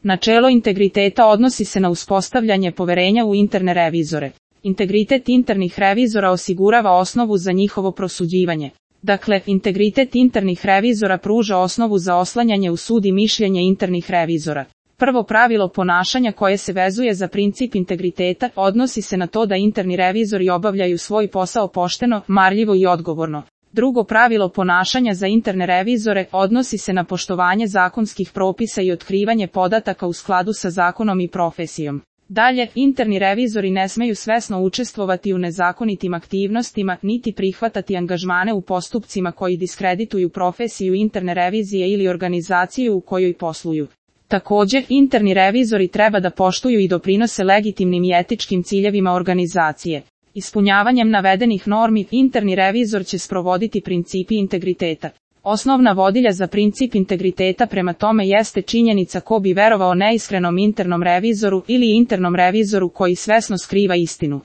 Načelo integriteta odnosi se na uspostavljanje poverenja u interne revizore. Integritet internih revizora osigurava osnovu za njihovo prosuđivanje. Dakle, integritet internih revizora pruža osnovu za oslanjanje u sud i mišljenje internih revizora. Prvo pravilo ponašanja koje se vezuje za princip integriteta odnosi se na to da interni revizori obavljaju svoj posao pošteno, marljivo i odgovorno. Drugo pravilo ponašanja za interne revizore odnosi se na poštovanje zakonskih propisa i otkrivanje podataka u skladu sa zakonom i profesijom. Dalje, interni revizori ne smeju svesno učestvovati u nezakonitim aktivnostima, niti prihvatati angažmane u postupcima koji diskredituju profesiju interne revizije ili organizaciju u kojoj posluju. Također, interni revizori treba da poštuju i doprinose legitimnim i etičkim ciljevima organizacije. Ispunjavanjem navedenih normi, interni revizor će sprovoditi principi integriteta. Osnovna vodilja za princip integriteta prema tome jeste činjenica ko bi verovao neiskrenom internom revizoru ili internom revizoru koji svesno skriva istinu.